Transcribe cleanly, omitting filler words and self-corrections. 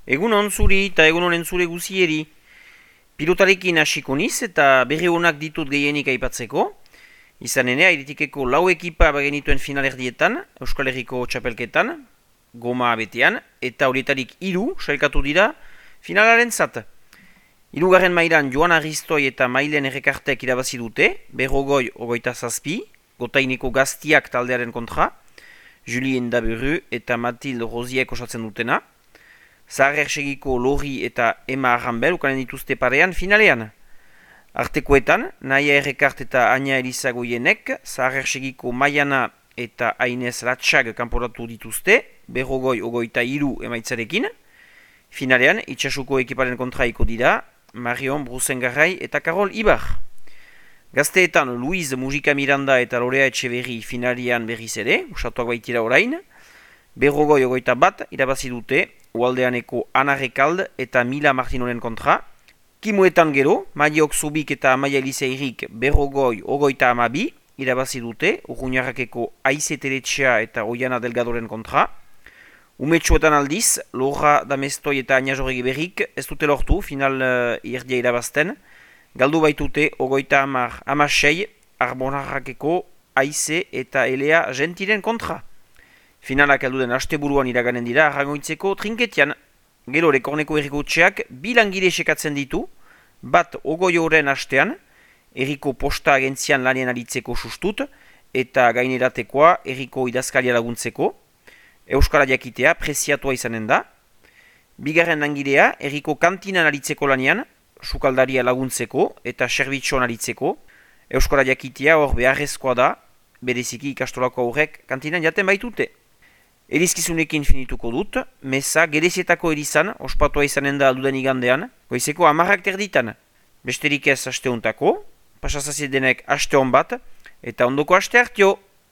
Egun on zuri eta egun honen zure guzieri. Pilotarekin hasiko niz eta berri honak ditut gehienik aipatzeko. Izan ene, Airitikeko lau ekipa bagenituen finalerdietan, Euskal Herriko txapelketan, goma betean, eta horietarik 3 sailkatu dira finalaren zat. 3. mailan Joan Aristoi eta Mailen Errekartek irabazi dute, Berrogoi 27, Gotaineko Gaztiak taldearen kontra, Julien Daburu eta Mathilde Rosiek osatzen dutena. Zahar Ersegiko Lori eta Emma Arrambel ukanen dituzte parean finalean. Artekoetan, Naia Errekart eta Aina Elizagoienek, Zahar Ersegiko Maiana eta Ainez Latxag kanporatu dituzte, Berrogoi 23 emaitzarekin. Finalean, itxasuko ekiparen kontraiko dira, Marion Brusengarrai eta Karol Ibar. Gazteetan, Luiz Mujika Miranda eta Lorea Etxeberri finalian berriz ere, usatuak baitira orain. Berrogoi 21 irabazi dute, Ualdeaneko Ana Rekald eta Mila Martinoren kontra. Kimuetan gero, Maiok Zubik eta Amaia Eliseirik Berrogoi 32 irabazi dute, Urruñarrakeko Aize Teletxea eta Oiana Delgadoren kontra. Umetxoetan aldiz, Lorra Damestoi eta Aina Jorregi berrik ez dute lortu final irdia irabazten. Galdu baitute 36 Arbonarrakeko Aize eta Elea Gentiren kontra. Finalak heldu den asteburuan iraganen dira Arrangoitzeko trinketian. Gero Rekorneko errikotxeak 2 langile sekatzen ditu, bat 20 astean, erriko posta agentzian lanien aritzeko sustut, eta gaineratekoa erriko idazkaria laguntzeko. Euskara jakitea preziatua izanen da. 2. langilea erriko kantinan aritzeko lanian, sukaldaria laguntzeko eta serbitxoan aritzeko. Euskara jakitea hor beharrezkoa da, bereziki ikastolako aurrek kantinan jaten baitute. Erizkizunekin finituko dut, meza gerezietako erizan, ospatua izanen da alduden igandean, goizeko 10:00 Besterik ez aste hontako, pasazaziedenek aste hon bat, eta ondoko aste hartio!